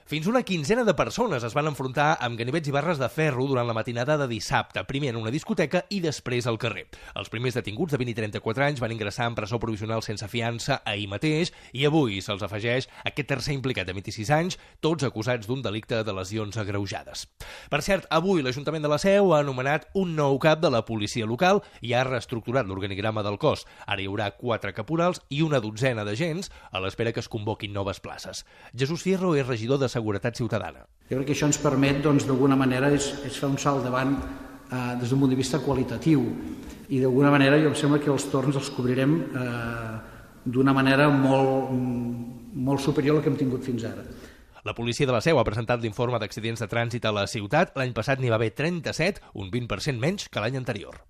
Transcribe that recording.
Fins una quinzena de persones es van enfrontar amb ganivets i barres de ferro durant la matinada de dissabte, primer en una discoteca i després al carrer. Els primers detinguts de 20 i 34 anys van ingressar en presó provisional sense fiança ahir mateix i avui se'ls afegeix aquest tercer implicat de 26 anys, tots acusats d'un delicte de lesions agreujades. Per cert, avui l'Ajuntament de la Seu ha anomenat un nou cap de la policia local i ha reestructurat l'organigrama del cos. Ara hi haurà 4 caporals i una dotzena d'agents a l'espera que es convoquin noves places. Jesús Fierro és regidor de Seguretat Ciutadana. Jo crec que això ens permet, d'alguna manera, és fer un salt davant des d'un punt de vista qualitatiu i d'alguna manera jo em sembla que els torns els cobrirem d'una manera molt superior a la que hem tingut fins ara. La policia de la Seu ha presentat l'informe d'accidents de trànsit a la ciutat. L'any passat n'hi va haver 37, un 20% menys que l'any anterior.